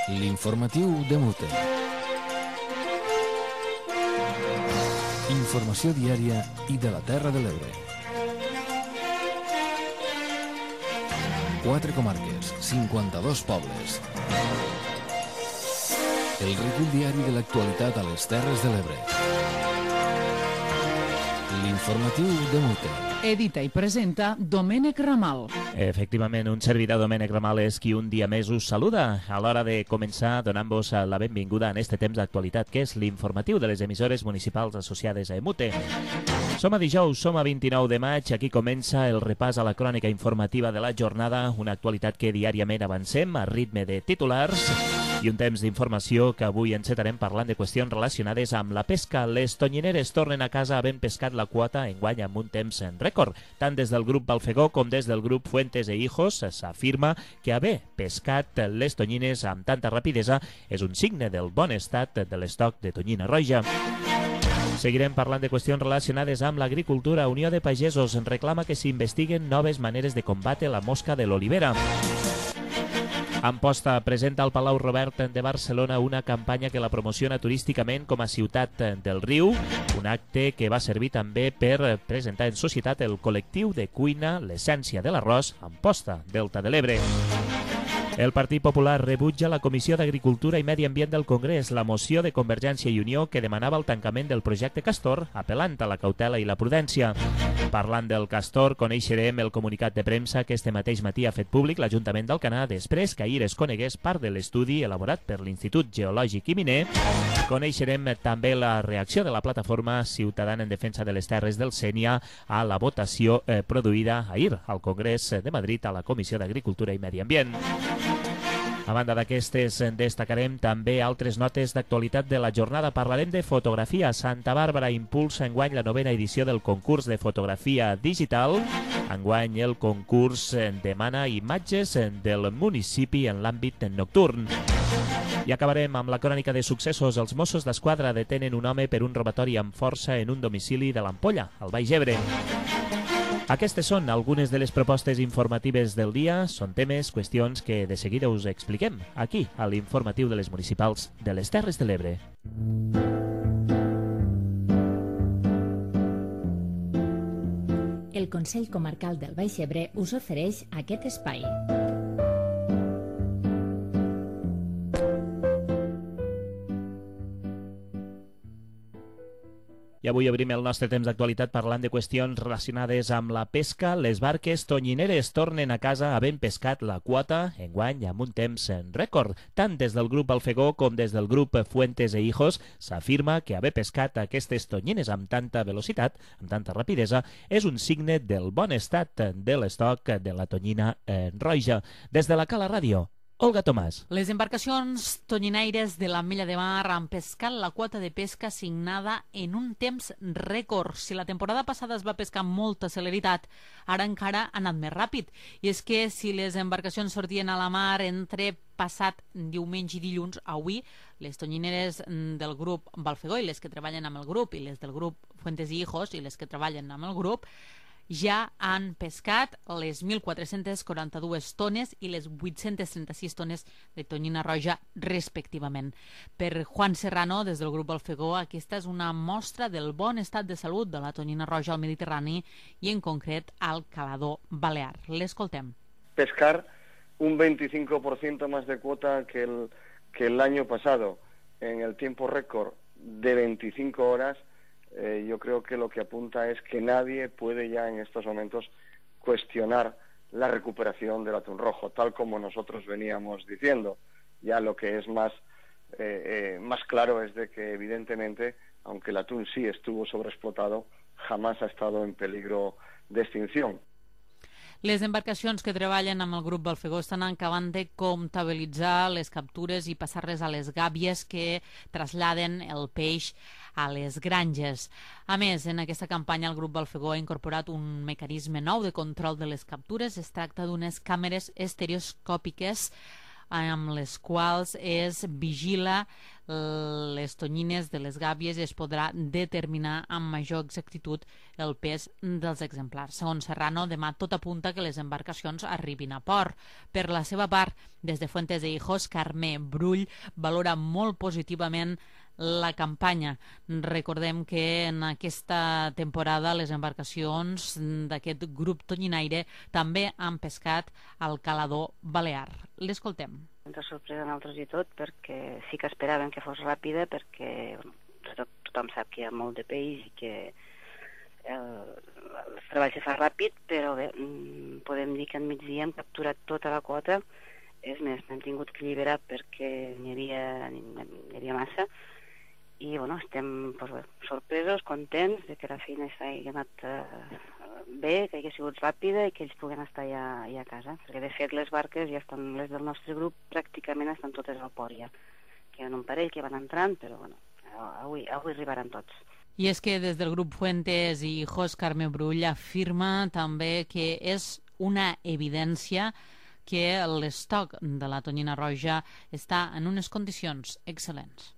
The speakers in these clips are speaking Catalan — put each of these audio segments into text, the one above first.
L'informatiu de Mute. Informació diària i de la Terra de l'Ebre. 4 comarques, 52 pobles. El recull diari de l'actualitat a les Terres de l'Ebre. L'informatiu de Mute. Edita i presenta Domènec Ramal. Efectivament, un servidor, Domènec Ramal, és qui un dia més us saluda a l'hora de començar donant-vos la benvinguda en este temps d'actualitat, que és l'informatiu de les emissores municipals associades a EMUTE. Som a dijous, som a 29 de maig, aquí comença el repàs a la crònica informativa de la jornada, una actualitat que diàriament avancem a ritme de titulars i un temps d'informació que avui encetarem parlant de qüestions relacionades amb la pesca. Les tonyineres tornen a casa havent pescat la quota enguany amb un temps en rècord. Tant des del grup Balfegó com des del grup Fuentes e Hijos s'afirma que haver pescat les tonyines amb tanta rapidesa és un signe del bon estat de l'estoc de tonyina roja. Seguirem parlant de qüestions relacionades amb l'agricultura. Unió de Pagesos reclama que s'investiguen noves maneres de combatre la mosca de l'olivera. Amposta presenta al Palau Robert de Barcelona una campanya que la promociona turísticament com a ciutat del riu, un acte que va servir també per presentar en societat el col·lectiu de cuina L'Essència de l'Arròs Amposta, Delta de l'Ebre. El Partit Popular rebutja la Comissió d'Agricultura i Medi Ambient del Congrés la moció de Convergència i Unió que demanava el tancament del projecte Castor, apel·lant a la cautela i la prudència. Parlant del Castor, coneixerem el comunicat de premsa que este mateix matí ha fet públic l'Ajuntament d'Alcanar després que ahir es conegués part de l'estudi elaborat per l'Institut Geològic i Miner. Coneixerem també la reacció de la plataforma ciutadana en defensa de les terres del Sénia a la votació produïda ahir al Congrés de Madrid a la Comissió d'Agricultura i Medi Ambient. A banda d'aquestes, destacarem també altres notes d'actualitat de la jornada. Parlarem de fotografia. Santa Bàrbara impulsa enguany la 9ª edició del concurs de fotografia digital. Enguany el concurs demana imatges del municipi en l'àmbit nocturn. I acabarem amb la crònica de successos. Els Mossos d'Esquadra detenen un home per un robatori amb força en un domicili de l'Ampolla, al Baix Ebre. Aquestes són algunes de les propostes informatives del dia. Són temes, qüestions que de seguida us expliquem aquí, a l'informatiu de les municipals de les Terres de l'Ebre. El Consell Comarcal del Baix Ebre us ofereix aquest espai. I avui obrim el nostre temps d'actualitat parlant de qüestions relacionades amb la pesca. Les barques tonyineres tornen a casa havent pescat la quota enguany amb un temps en rècord. Tant des del grup Balfegó com des del grup Fuentes e Hijos s'afirma que haver pescat aquestes tonyines amb tanta velocitat, amb tanta rapidesa, és un signe del bon estat de l'estoc de la tonyina roja. Des de la Cala Ràdio, Olga Tomàs. Les embarcacions tonyinaires de l'Ametlla de Mar han pescat la quota de pesca assignada en un temps rècord. Si la temporada passada es va pescar amb molta celeritat, ara encara ha anat més ràpid. I és que si les embarcacions sortien a la mar entre passat diumenge i dilluns, avui les tonyineres del grup Balfegó i les que treballen amb el grup i les del grup Fuentes i Hijos i les que treballen amb el grup ja han pescat les 1.442 tones i les 836 tones de tonyina roja respectivament. Per Juan Serrano, des del grup Balfegó, aquesta és una mostra del bon estat de salut de la tonyina roja al Mediterrani i en concret al Calador Balear. L'escoltem. Pescar un 25% más de cuota que el año pasado en el tiempo récord de 25 horas. Yo creo que lo que apunta es que nadie puede ya en estos momentos cuestionar la recuperación del atún rojo, tal como nosotros veníamos diciendo. Ya lo que es más claro es de que evidentemente, aunque el atún sí estuvo sobreexplotado, jamás ha estado en peligro de extinción. Les embarcacions que treballen amb el grup Balfegó estan acabant de comptabilitzar les captures i passar-les a les gàbies que traslladen el peix a les granges. A més, en aquesta campanya el grup Balfegó ha incorporat un mecanisme nou de control de les captures. Es tracta d'unes càmeres estereoscòpiques amb les quals es vigila les tonyines de les gàbies es podrà determinar amb major exactitud el pes dels exemplars. Segons Serrano, demà tot apunta que les embarcacions arribin a port. Per la seva part, des de Fuentes de Hijos, Carme Brull valora molt positivament la campanya. Recordem que en aquesta temporada les embarcacions d'aquest grup tonyinaire també han pescat al calador balear. L'escoltem. Ens ha sorprès a nosaltres i tot, perquè sí que esperàvem que fos ràpida, perquè tothom sap que hi ha molt de peix i que el treball se fa ràpid, però bé, podem dir que al migdia hem capturat tota la quota. És més, n'hem tingut que alliberar perquè n'hi havia massa, i bueno, estem sorpresos, contents de que la feina hagi anat bé, que hagi sigut ràpida i que ells puguen estar ja a casa, perquè de fet les barques ja estan, les del nostre grup pràcticament estan totes al port ja. Queden un parell que van entrant, però bueno, avui arribaran tots. I és que des del grup Fuentes i Hijos, Carme Brull afirma també que és una evidència que l'estoc de la tonyina roja està en unes condicions excel·lents.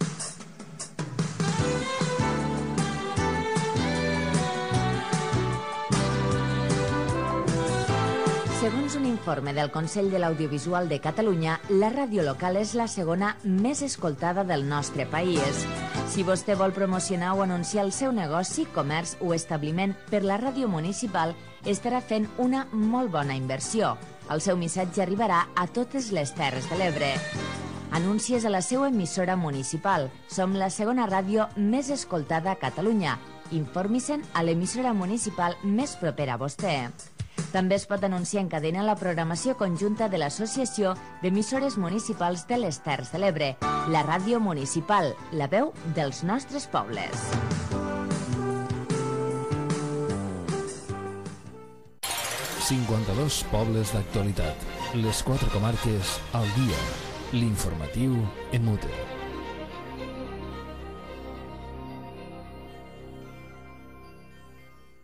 Segons un informe del Consell de l'Audiovisual de Catalunya, la ràdio local és la segona més escoltada del nostre país. Si vostè vol promocionar o anunciar el seu negoci, comerç o establiment per la ràdio municipal, estarà fent una molt bona inversió. El seu missatge arribarà a totes les Terres de l'Ebre. Anuncies a la seva emissora municipal. Som la segona ràdio més escoltada a Catalunya. Informi-se'n a l'emissora municipal més propera a vostè. També es pot anunciar en cadena la programació conjunta de l'Associació d'Emissores Municipals de les Terres de l'Ebre, la ràdio municipal, la veu dels nostres pobles. ...52 pobles d'actualitat. Les 4 comarques al dia. L'informatiu en Mute.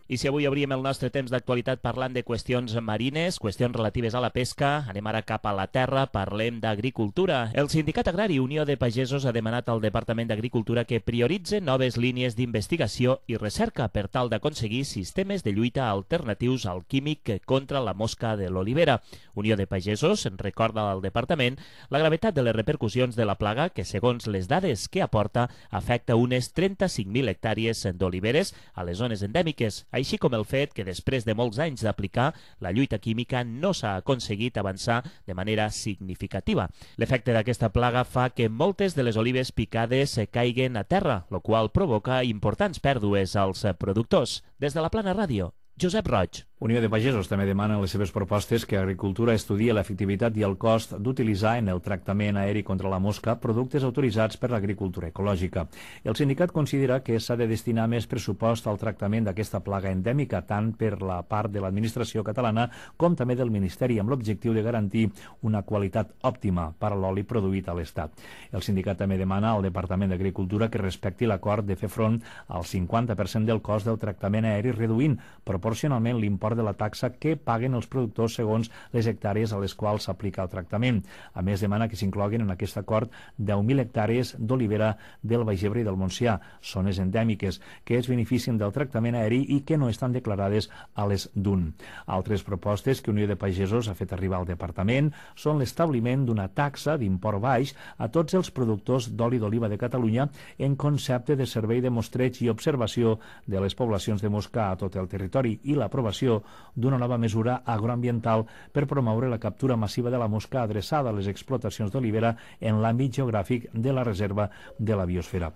I si avui obrim el nostre temps d'actualitat parlant de qüestions marines, qüestions relatives a la pesca, anem ara cap a la terra, parlem d'agricultura. El Sindicat Agrari Unió de Pagesos ha demanat al Departament d'Agricultura que prioritze noves línies d'investigació i recerca per tal d'aconseguir sistemes de lluita alternatius al químic contra la mosca de l'olivera. Unió de Pagesos recorda al Departament la gravetat de les repercussions de la plaga que, segons les dades que aporta, afecta unes 35.000 hectàrees d'oliveres a les zones endèmiques, així com el fet que després de molts anys d'aplicar la lluita química no s'ha aconseguit avançar de manera significativa. L'efecte d'aquesta plaga fa que moltes de les olives picades caiguen a terra, el qual provoca importants pèrdues als productors. Des de la Plana Ràdio, Josep Roig. Unió de Pagesos també demana en les seves propostes que Agricultura estudie l'efectivitat i el cost d'utilitzar en el tractament aeri contra la mosca productes autoritzats per l'agricultura ecològica. El sindicat considera que s'ha de destinar més pressupost al tractament d'aquesta plaga endèmica, tant per la part de l'administració catalana com també del Ministeri, amb l'objectiu de garantir una qualitat òptima per a l'oli produït a l'Estat. El sindicat també demana al Departament d'Agricultura que respecti l'acord de fer front al 50% del cost del tractament aeri, reduint proporcionalment l'import de la taxa que paguen els productors segons les hectàrees a les quals s'aplica el tractament. A més, demana que s'incloguin en aquest acord 10.000 hectàrees d'olivera del Baix Ebre i del Montsià, zones endèmiques, que es beneficien del tractament aeri i que no estan declarades a les DUN. Altres propostes que Unió de Pagesos ha fet arribar al Departament són l'establiment d'una taxa d'import baix a tots els productors d'oli d'oliva de Catalunya en concepte de servei de mostreig i observació de les poblacions de mosca a tot el territori i l'aprovació d'una nova mesura agroambiental per promoure la captura massiva de la mosca adreçada a les explotacions d'olivera en l'àmbit geogràfic de la reserva de la biosfera.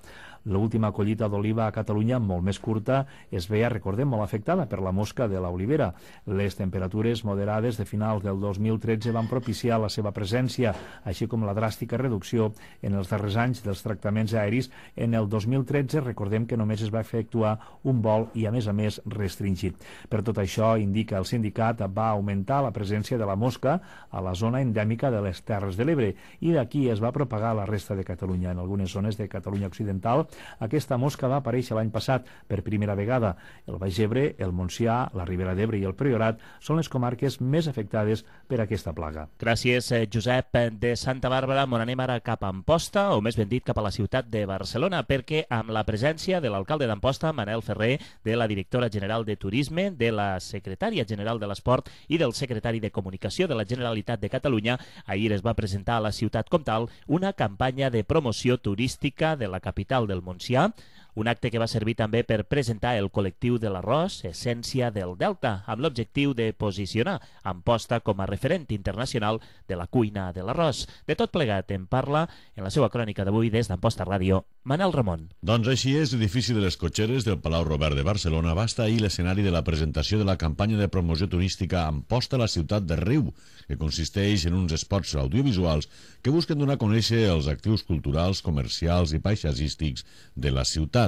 L'última collita d'oliva a Catalunya, molt més curta, es veia, recordem, molt afectada per la mosca de l'olivera. Les temperatures moderades de finals del 2013 van propiciar la seva presència, així com la dràstica reducció en els darrers anys dels tractaments aeris. En el 2013, recordem que només es va efectuar un vol i, a més, restringit. Per tot això, indica el sindicat, va augmentar la presència de la mosca a la zona endèmica de les Terres de l'Ebre i d'aquí es va propagar a la resta de Catalunya. En algunes zones de Catalunya occidental Aquesta mosca va aparèixer l'any passat per primera vegada. El Baix Ebre, el Montsià, la Ribera d'Ebre i el Priorat són les comarques més afectades per aquesta plaga. Gràcies, Josep. De Santa Bàrbara m'on anem ara cap a Amposta, o més ben dit cap a la ciutat de Barcelona, perquè amb la presència de l'alcalde d'Amposta, Manel Ferrer, de la directora general de Turisme, de la secretària general de l'Esport i del secretari de Comunicació de la Generalitat de Catalunya, ahir es va presentar a la ciutat com tal una campanya de promoció turística de la capital del Montsià, un acte que va servir també per presentar el col·lectiu de l'arròs, Essència del Delta, amb l'objectiu de posicionar Amposta com a referent internacional de la cuina de l'arròs. De tot plegat en parla en la seva crònica d'avui des d'Amposta Ràdio, Manel Ramon. Doncs així és, l'edifici de les cotxeres del Palau Robert de Barcelona va estar ahir l'escenari de la presentació de la campanya de promoció turística Amposta a la ciutat de Riu, que consisteix en uns spots audiovisuals que busquen donar a conèixer els actius culturals, comercials i paisatgístics de la ciutat.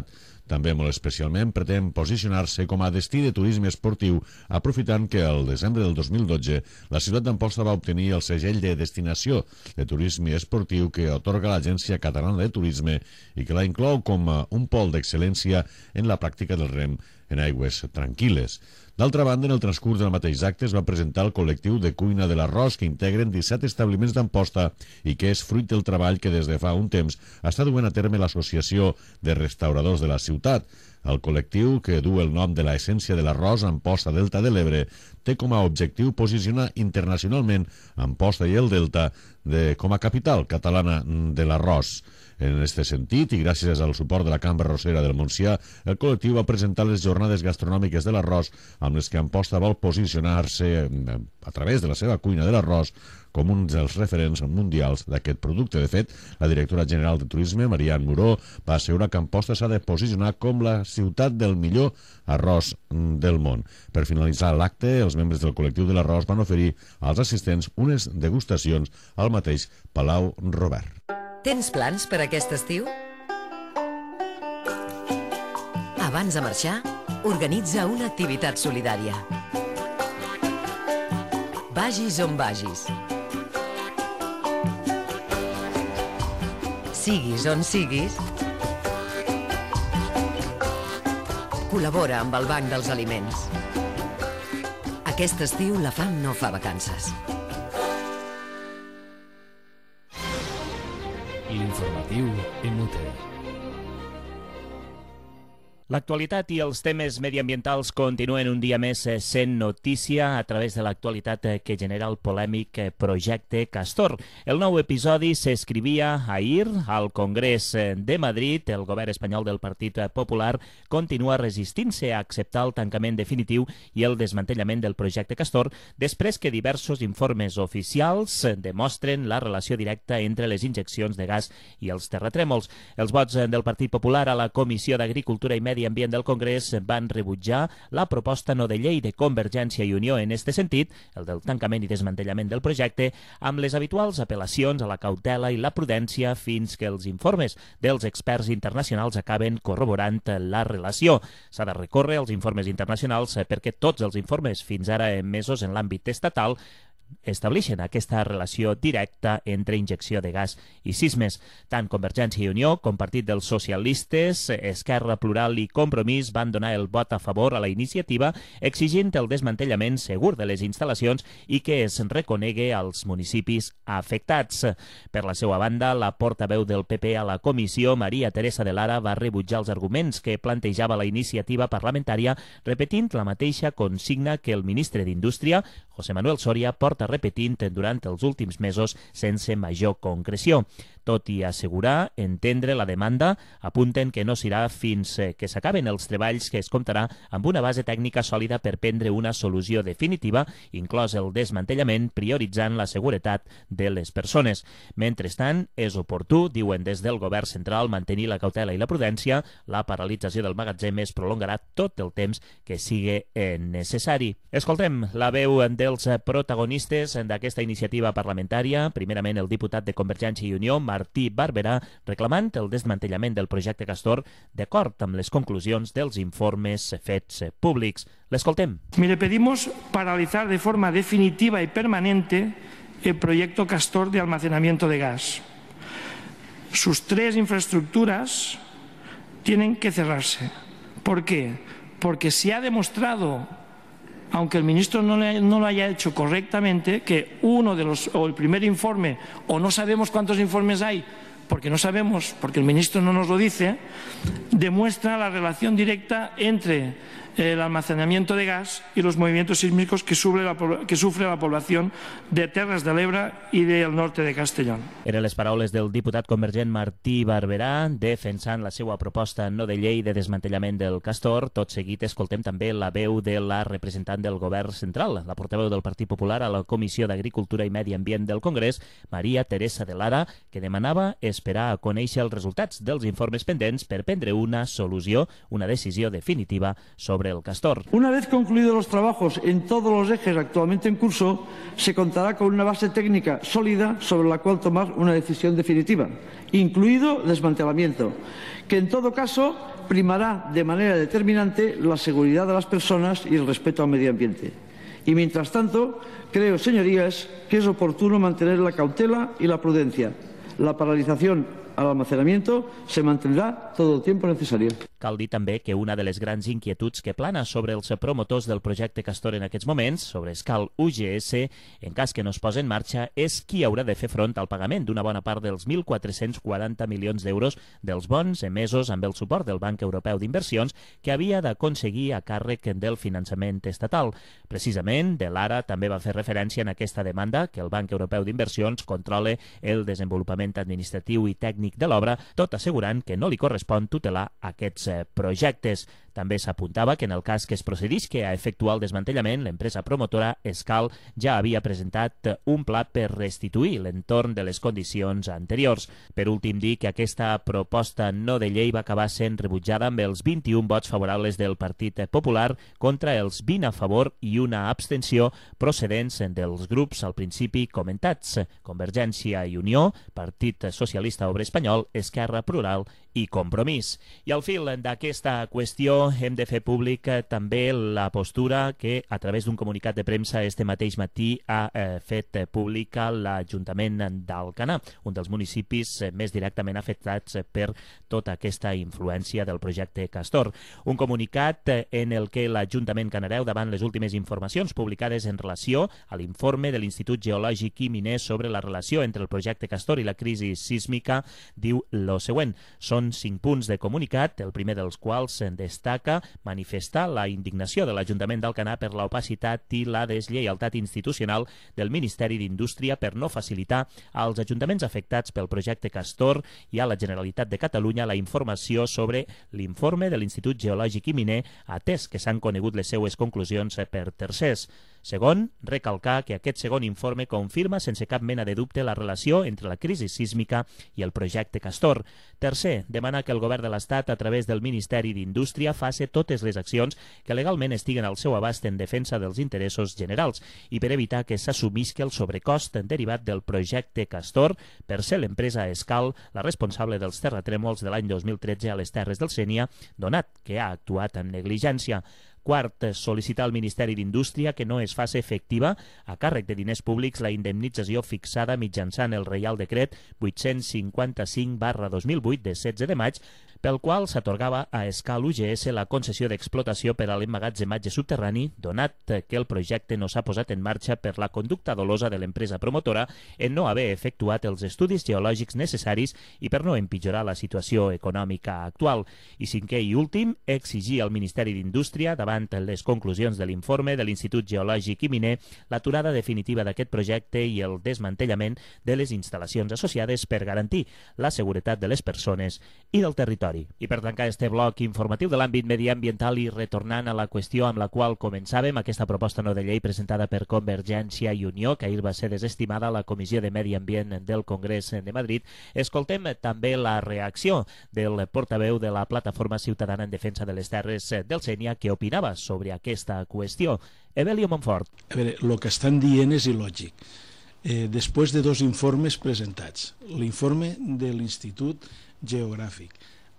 També molt especialment pretén posicionar-se com a destí de turisme esportiu, aprofitant que el desembre del 2012 la ciutat d'Amposta va obtenir el segell de destinació de turisme esportiu que atorga l'Agència Catalana de Turisme i que la inclou com un pol d'excel·lència en la pràctica del rem en aigües tranquil·les. D'altra banda, en el transcurs del mateix acte es va presentar el col·lectiu de cuina de l'arròs que integren 17 establiments d'Amposta i que és fruit del treball que des de fa un temps està duent a terme l'Associació de Restauradors de la ciutat. El col·lectiu, que du el nom de l'Essència de l'arròs Amposta Delta de l'Ebre, té com a objectiu posicionar internacionalment Amposta i el Delta com a capital catalana de l'arròs. En aquest sentit, i gràcies al suport de la Cambra Arrossera del Montsià, el col·lectiu va presentar les jornades gastronòmiques de l'arròs amb les que Amposta vol posicionar-se a través de la seva cuina de l'arròs com un dels referents mundials d'aquest producte. De fet, la directora general de Turisme, Marian Muró, va assegurar que Amposta s'ha de posicionar com la ciutat del millor arròs del món. Per finalitzar l'acte, els membres del col·lectiu de l'arròs van oferir als assistents unes degustacions al mateix Palau Robert. Tens plans per aquest estiu? Abans de marxar, organitza una activitat solidària. Vagis on vagis. Siguis on siguis, col·labora amb el Banc dels Aliments. Aquest estiu la fam no fa vacances. L'informatiu Emute. L'actualitat i els temes mediambientals continuen un dia més sent notícia a través de l'actualitat que genera el polèmic projecte Castor. El nou episodi s'escrivia ahir al Congrés de Madrid. El govern espanyol del Partit Popular continua resistint-se a acceptar el tancament definitiu i el desmantellament del projecte Castor després que diversos informes oficials demostren la relació directa entre les injeccions de gas i els terratrèmols. Els vots del Partit Popular a la Comissió d'Agricultura i Medi Ambient del Congrés van rebutjar la proposta no de llei de Convergència i Unió en este sentit, el del tancament i desmantellament del projecte, amb les habituals apel·lacions a la cautela i la prudència fins que els informes dels experts internacionals acaben corroborant la relació. S'ha de recórrer als informes internacionals perquè tots els informes fins ara emesos en l'àmbit estatal estableixen aquesta relació directa entre injecció de gas i sismes. Tant Convergència i Unió com Partit dels Socialistes, Esquerra Plural i Compromís van donar el vot a favor a la iniciativa exigint el desmantellament segur de les instal·lacions i que es reconegui als municipis afectats. Per la seva banda, la portaveu del PP a la comissió, Maria Teresa de Lara, va rebutjar els arguments que plantejava la iniciativa parlamentària, repetint la mateixa consigna que el ministre d'Indústria, José Manuel Soria, porta repetint durant els últims mesos sense major concreció. Tot i assegurar entendre la demanda, apunten que no serà fins que s'acaben els treballs que es comptarà amb una base tècnica sòlida per prendre una solució definitiva, inclòs el desmantellament, prioritzant la seguretat de les persones. Mentrestant, és oportú, diuen des del govern central, mantenir la cautela i la prudència. La paralització del magatzem es prolongarà tot el temps que sigui necessari. Escoltem la veu dels protagonistes d'aquesta iniciativa parlamentària. Primerament, el diputat de Convergència i Unió, Martí Barberà, reclamant el desmantellament del projecte Castor d'acord amb les conclusions dels informes fets públics. L'escoltem. Mire, pedimos paralizar de forma definitiva y permanente el proyecto Castor de almacenamiento de gas. Sus tres infraestructuras tienen que cerrarse. ¿Por qué? Porque se ha demostrado, aunque el ministro no lo haya hecho correctamente, que o el primer informe, o no sabemos cuántos informes hay, porque no sabemos, porque el ministro no nos lo dice, demuestra la relación directa entre el almacenamiento de gas y los movimientos sísmicos que sufre la población de Terres de l'Ebre i del norte de Castellón. Eren les paraules del diputat convergent Martí Barberà defensant la seva proposta no de llei de desmantellament del Castor. Tot seguit escoltem també la veu de la representant del govern central, la portaveu del Partit Popular a la Comissió d'Agricultura i Medi Ambient del Congrés, Maria Teresa de Lara, que demanava esperar a conèixer els resultats dels informes pendents per prendre una solució, una decisió definitiva sobre el Castor. Una vez concluidos los trabajos en todos los ejes actualmente en curso, se contará con una base técnica sólida sobre la cual tomar una decisión definitiva, incluido el desmantelamiento, que en todo caso primará de manera determinante la seguridad de las personas y el respeto al medio ambiente. Y mientras tanto, creo, señorías, que es oportuno mantener la cautela y la prudencia. La paralización al almacenamiento se mantendrá todo el tiempo necesario. Cal dir també que una de les grans inquietuds que plana sobre els promotors del projecte Castor en aquests moments, sobre Escal UGS, en cas que no es posi en marxa, és qui haurà de fer front al pagament d'una bona part dels 1.440 milions d'euros dels bons emesos amb el suport del Banc Europeu d'Inversions que havia d'aconseguir a càrrec del finançament estatal. Precisament, de Lara també va fer referència en aquesta demanda que el Banc Europeu d'Inversions controle el desenvolupament administratiu i tècnic de l'obra, tot assegurant que no li correspon tutelar aquests projectes. També s'apuntava que en el cas que es procedisca a efectuar el desmantellament, l'empresa promotora Escal ja havia presentat un pla per restituir l'entorn de les condicions anteriors. Per últim, dir que aquesta proposta no de llei va acabar sent rebutjada amb els 21 vots favorables del Partit Popular contra els 20 a favor i una abstenció procedents dels grups al principi comentats: Convergència i Unió, Partit Socialista Obrer Espanyol, Esquerra Plural i Compromís. I al fil d'aquesta qüestió hem de fer públic també la postura que a través d'un comunicat de premsa este mateix matí ha fet pública l'Ajuntament d'Alcanar, un dels municipis més directament afectats per tota aquesta influència del projecte Castor. Un comunicat en el que l'Ajuntament canareu, davant les últimes informacions publicades en relació a l'informe de l'Institut Geològic i Miner sobre la relació entre el projecte Castor i la crisi sísmica, diu lo següent. Són 5 punts de comunicat, el primer dels quals destaca manifestar la indignació de l'Ajuntament d'Alcanar per l'opacitat i la deslleialtat institucional del Ministeri d'Indústria per no facilitar als ajuntaments afectats pel projecte Castor i a la Generalitat de Catalunya la informació sobre l'informe de l'Institut Geològic i Miner, atès que s'han conegut les seues conclusions per tercers. Segon, recalcar que aquest segon informe confirma sense cap mena de dubte la relació entre la crisi sísmica i el projecte Castor. Tercer, demana que el govern de l'Estat, a través del Ministeri d'Indústria, faci totes les accions que legalment estiguen al seu abast en defensa dels interessos generals i per evitar que s'assumisca el sobrecost derivat del projecte Castor per ser l'empresa Escal la responsable dels terratrèmols de l'any 2013 a les Terres del Sénia, donat que ha actuat amb negligència. Quart, sol·licitar al Ministeri d'Indústria que no es faci efectiva a càrrec de diners públics la indemnització fixada mitjançant el Reial Decret 855/2008 de 16 de maig, pel qual s'atorgava a Escal UGS la concessió d'explotació per a l'emmagatzematge subterrani, donat que el projecte no s'ha posat en marxa per la conducta dolosa de l'empresa promotora en no haver efectuat els estudis geològics necessaris i per no empitjorar la situació econòmica actual. I cinquè i últim, exigir al Ministeri d'Indústria, davant les conclusions de l'informe de l'Institut Geològic i Miner, l'aturada definitiva d'aquest projecte i el desmantellament de les instal·lacions associades per garantir la seguretat de les persones i del territori. I per tancar este bloc informatiu de l'àmbit mediambiental i retornant a la qüestió amb la qual començàvem, aquesta proposta no de llei presentada per Convergència i Unió, que ahir va ser desestimada a la Comissió de Medi Ambient del Congrés de Madrid, escoltem també la reacció del portaveu de la Plataforma Ciutadana en Defensa de les Terres del Sénia, que opinava sobre aquesta qüestió. Evelio Montfort. A veure, el que estan dient és il·lògic. Després de 2 informes presentats, l'informe de l'Institut Geogràfic,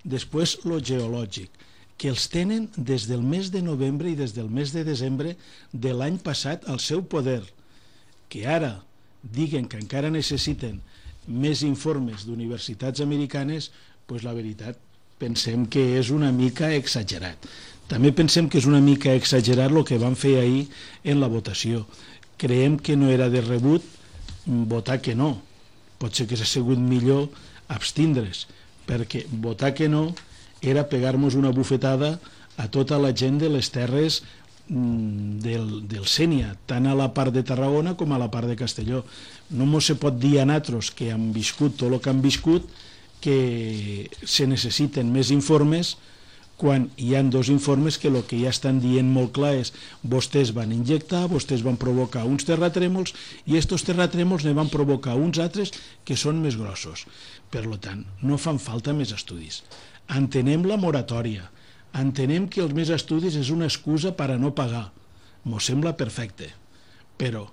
després lo geològic, que els tenen des del mes de novembre i des del mes de desembre de l'any passat al seu poder, que ara diguen que encara necessiten més informes d'universitats americanes, doncs la veritat pensem que és una mica exagerat. També pensem que és una mica exagerat el que van fer ahir en la votació. Creiem que no era de rebut votar que no. Potser que s'ha sigut millor abstindre's, perquè votar que no era pegar-nos una bufetada a tota la gent de les terres del Sénia, tant a la part de Tarragona com a la part de Castelló. No mos se pot dir a nosaltres que han viscut tot el que han viscut que se necessiten més informes quan hi ha dos informes que el que ja estan dient molt clar és vostès van injectar, vostès van provocar uns terratrèmols i estos terratrèmols ne van provocar uns altres que són més grossos. Per tant, no fan falta més estudis. Entenem la moratòria, entenem que els més estudis és una excusa per a no pagar. Mos sembla perfecte, però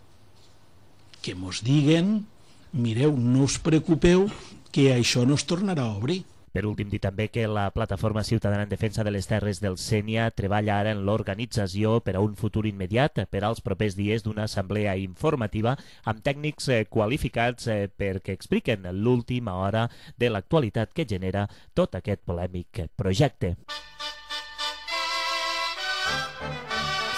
que mos diguen, mireu, no us preocupeu, que això no es tornarà a obrir. Per últim, dir també que la Plataforma Ciutadana en Defensa de les Terres del Sénia treballa ara en l'organització per a un futur immediat per als propers dies d'una assemblea informativa amb tècnics qualificats perquè expliquen l'última hora de l'actualitat que genera tot aquest polèmic projecte.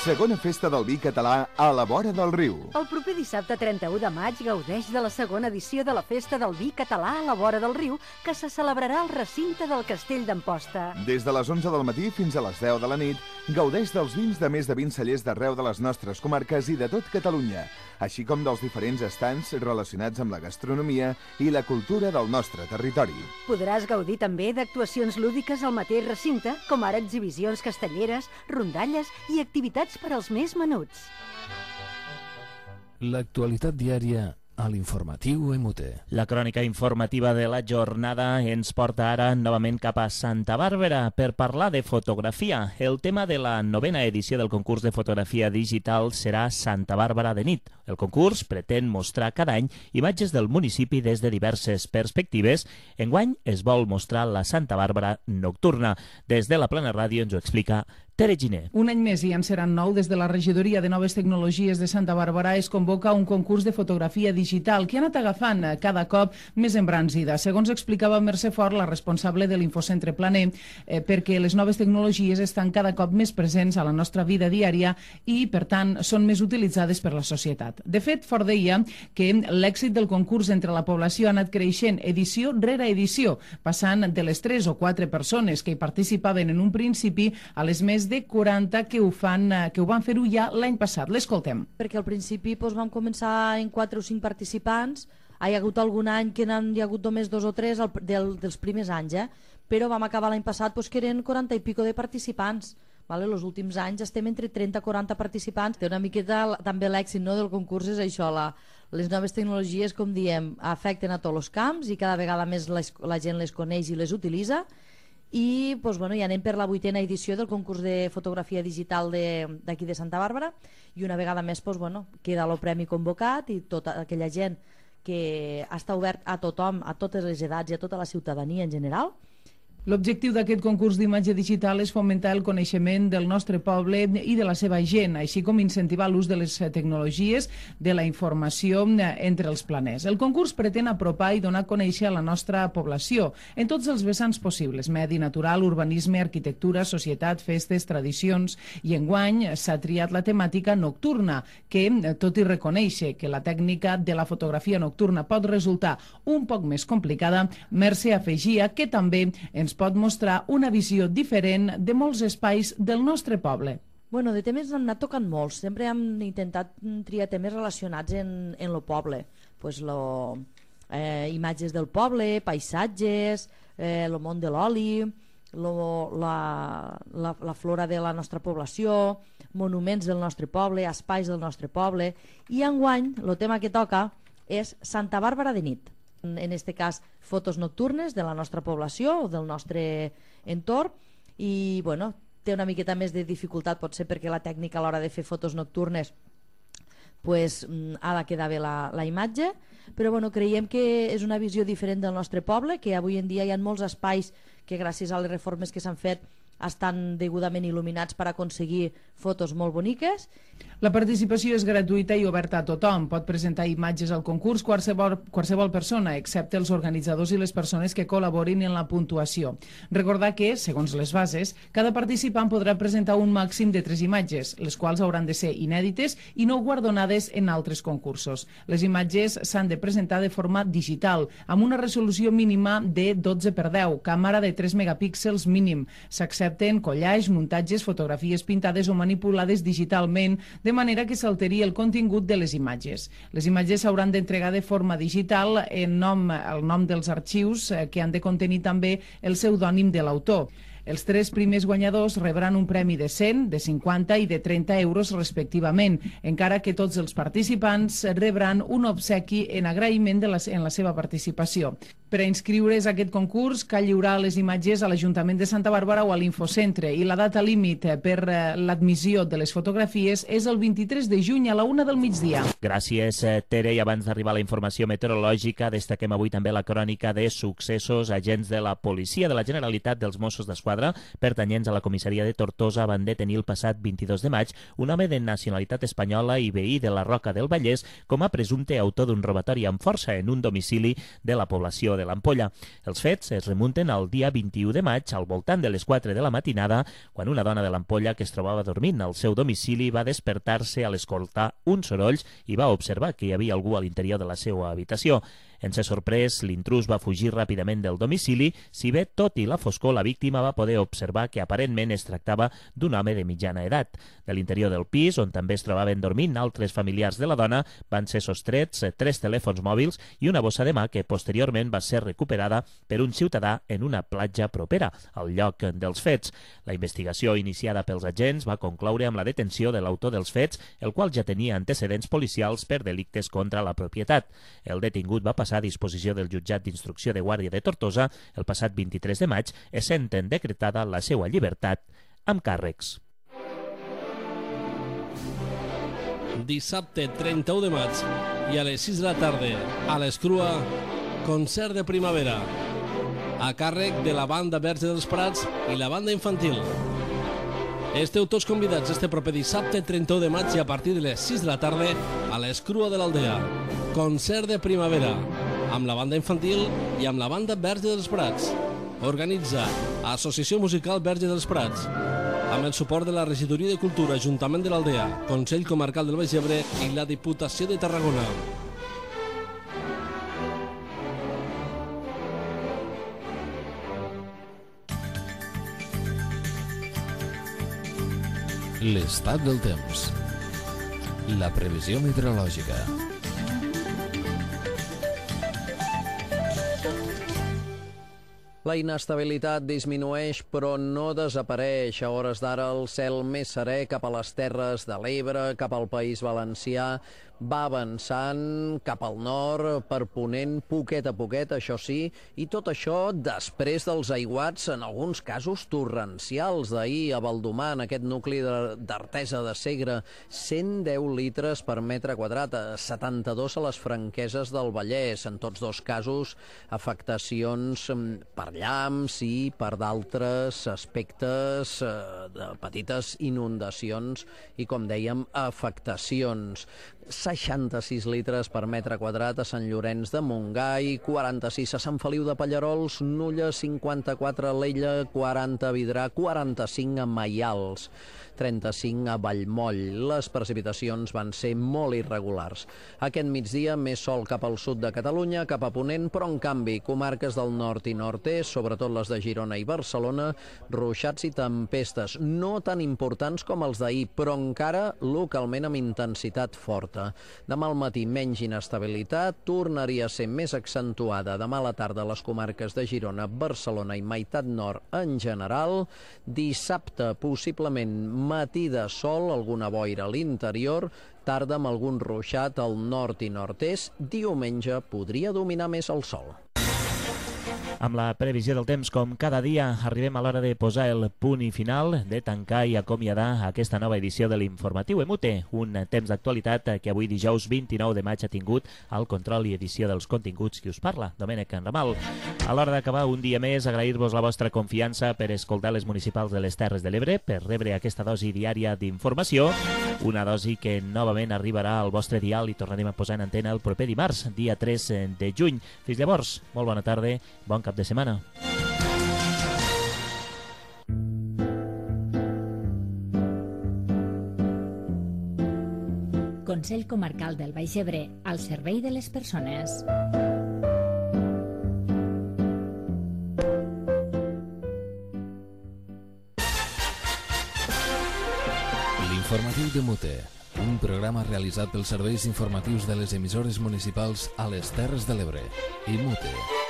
Segona festa del vi català a la vora del riu. El proper dissabte 31 de maig gaudeix de la segona edició de la Festa del Vi català a la vora del riu, que se celebrarà al recinte del Castell d'Amposta. Des de les 11 del matí fins a les 10 de la nit, gaudeix dels vins de més de 20 cellers d'arreu de les nostres comarques i de tot Catalunya, així com dels diferents estants relacionats amb la gastronomia i la cultura del nostre territori. Podràs gaudir també d'actuacions lúdiques al mateix recinte, com ara exhibicions castelleres, rondalles i activitats per als més menuts. L'actualitat diària a l'informatiu MUT. La crònica informativa de la jornada ens porta ara novament cap a Santa Bàrbara per parlar de fotografia. El tema de la 9ª edició del concurs de fotografia digital serà Santa Bàrbara de nit. El concurs pretén mostrar cada any imatges del municipi des de diverses perspectives. Enguany es vol mostrar la Santa Bàrbara nocturna. Des de la Plana Ràdio ens ho explica Tere Giner. Un any més i en seran 9 des de la Regidoria de Noves Tecnologies de Santa Bàrbara es convoca un concurs de fotografia digital que ha anat agafant cada cop més embranzida. Segons explicava Mercè Fort, la responsable de l'Infocentre Planer, perquè les noves tecnologies estan cada cop més presents a la nostra vida diària i, per tant, són més utilitzades per la societat. De fet, Fort deia que l'èxit del concurs entre la població ha anat creixent edició rere edició, passant de les 3 o 4 persones que hi participaven en un principi a les més de 40 que ho van fer-ho ja l'any passat. L'escoltem. Perquè al principi vam començar en 4 o 5 participants, hi ha hagut algun any que n'hi ha hagut només 2 o 3 dels primers anys, però vam acabar l'any passat que eren 40 i pico de participants. Els últims anys estem entre 30 i 40 participants. Té una miqueta també l'èxit del concurs és això, les noves tecnologies, com diem, afecten a tots els camps i cada vegada més la gent les coneix i les utilitza. I ja anem per la 8ª edició del concurs de fotografia digital d'aquí de Santa Bàrbara i una vegada més queda el premi convocat i tota aquella gent que està obert a tothom, a totes les edats i a tota la ciutadania en general. L'objectiu d'aquest concurs d'imatge digital és fomentar el coneixement del nostre poble i de la seva gent, així com incentivar l'ús de les tecnologies de la informació entre els planers. El concurs pretén apropar i donar a conèixer a la nostra població en tots els vessants possibles: medi natural, urbanisme, arquitectura, societat, festes, tradicions, i enguany s'ha triat la temàtica nocturna, que, tot i reconèixer que la tècnica de la fotografia nocturna pot resultar un poc més complicada, Mercè afegia que també ens pot mostrar una visió diferent de molts espais del nostre poble. De temes n'han anat tocant molts. Sempre hem intentat triar temes relacionats en el poble. Imatges del poble, paisatges, el món de l'oli, la flora de la nostra població, monuments del nostre poble, espais del nostre poble. I enguany el tema que toca és Santa Bàrbara de nit. En aquest cas, fotos nocturnes de la nostra població o del nostre entorn i té una miqueta més de dificultat, potser perquè la tècnica a l'hora de fer fotos nocturnes ha de quedar bé la imatge, però creiem que és una visió diferent del nostre poble, que avui en dia hi ha molts espais que gràcies a les reformes que s'han fet estan degudament il·luminats per aconseguir fotos molt boniques. La participació és gratuïta i oberta a tothom. Pot presentar imatges al concurs qualsevol persona, excepte els organitzadors i les persones que col·laborin en la puntuació. Recordar que, segons les bases, cada participant podrà presentar un màxim de 3 imatges, les quals hauran de ser inèdites i no guardonades en altres concursos. Les imatges s'han de presentar de forma digital, amb una resolució mínima de 12x10, càmera de 3 megapíxels mínim. S'accepten collage, muntatges, fotografies pintades o manipulades digitalment, de manera que s'alteri el contingut de les imatges. Les imatges s'hauran d'entregar de forma digital el nom dels arxius que han de contenir també el pseudònim de l'autor. Els 3 primers guanyadors rebran un premi de 100, de 50 i de 30 euros respectivament, encara que tots els participants rebran un obsequi en agraïment en la seva participació. Per a inscriure's a aquest concurs cal lliurar les imatges a l'Ajuntament de Santa Bàrbara o a l'Infocentre i la data límit per l'admissió de les fotografies és el 23 de juny a la 1 del migdia. Gràcies, Tere. I abans d'arribar a la informació meteorològica, destaquem avui també la crònica de successos. Agents de la Policia de la Generalitat dels Mossos d'Esquadra, pertanyents a la comissaria de Tortosa, van detenir el passat 22 de maig un home de nacionalitat espanyola i veí de la Roca del Vallès com a presumpte autor d'un robatori amb força en un domicili de la població de l'Ampolla. Els fets es remunten al dia 21 de maig, al voltant de les 4 de la matinada, quan una dona de l'Ampolla que es trobava dormint al seu domicili va despertar-se a l'escoltar uns sorolls i va observar que hi havia algú a l'interior de la seva habitació. En ser sorprès, l'intrús va fugir ràpidament del domicili, si bé, tot i la foscor, la víctima va poder observar que aparentment es tractava d'un home de mitjana edat. De l'interior del pis, on també es trobaven dormint altres familiars de la dona, van ser sostrets 3 telèfons mòbils i una bossa de mà que posteriorment va ser recuperada per un ciutadà en una platja propera al lloc dels fets. La investigació iniciada pels agents va concloure amb la detenció de l'autor dels fets, el qual ja tenia antecedents policials per delictes contra la propietat. El detingut va passar a disposició del jutjat d'instrucció de Guàrdia de Tortosa el passat 23 de maig, essent decretada la seva llibertat amb càrrecs. Dissabte 31 de maig i a les 6 de la tarda a l'Escrua, concert de primavera a càrrec de la banda Verge dels Prats i la banda infantil. Esteu tots convidats este proper dissabte 31 de maig i a partir de les 6 de la tarda a l'Escrua de l'Aldea. Concert de primavera amb la banda infantil i amb la banda Verge dels Prats. Organitza Associació Musical Verge dels Prats amb el suport de la Regidoria de Cultura, Ajuntament de l'Aldea, Consell Comarcal del Baix Ebre i la Diputació de Tarragona. L'estat del temps. La previsió meteorològica. La inestabilitat disminueix però no desapareix. A hores d'ara el cel més serè cap a les Terres de l'Ebre, cap al País Valencià, va avançant cap al nord, per ponent, poquet a poquet, això sí, i tot això després dels aiguats, en alguns casos torrencials d'ahir a Baldomar, en aquest nucli d'Artesa de Segre, 110 litres per metre quadrat, 72 a les Franqueses del Vallès, en tots dos casos afectacions per llamps i per d'altres aspectes de petites inundacions i, com dèiem, afectacions. 66 litres per metre quadrat a Sant Llorenç de Montgai, 46 a Sant Feliu de Pallerols, Nulla, 54 a Alella, 40 a Vidrà, 45 a Maials, 35 a Vallmoll. Les precipitacions van ser molt irregulars. Aquest migdia, més sol cap al sud de Catalunya, cap a ponent, però en canvi, comarques del nord i nord-est, sobretot les de Girona i Barcelona, ruixats i tempestes, no tan importants com els d'ahir, però encara localment amb intensitat forta. Demà al matí menys inestabilitat, tornaria a ser més accentuada demà a la tarda a les comarques de Girona, Barcelona i meitat nord en general. Dissabte, possiblement matí de sol, alguna boira a l'interior, tarda amb algun ruixat al nord i nord-est. Diumenge podria dominar més el sol. Amb la previsió del temps, com cada dia, arribem a l'hora de posar el punt i final, de tancar i acomiadar aquesta nova edició de l'Informatiu Emute, un temps d'actualitat que avui dijous 29 de maig ha tingut el control i edició dels continguts qui us parla, Domènec Enramal. A l'hora d'acabar un dia més, agrair-vos la vostra confiança per escoltar les municipals de les Terres de l'Ebre, per rebre aquesta dosi diària d'informació, una dosi que novament arribarà al vostre dial i tornarem a posar en antena el proper dimarts, dia 3 de juny. Fins llavors, molt bona tarda, bon cap de setmana. Consell Comarcal del Baix Ebre, al servei de les persones. L'Informatiu de Mute, un programa realitzat pels serveis informatius de les emissores municipals a les Terres de l'Ebre i Mute.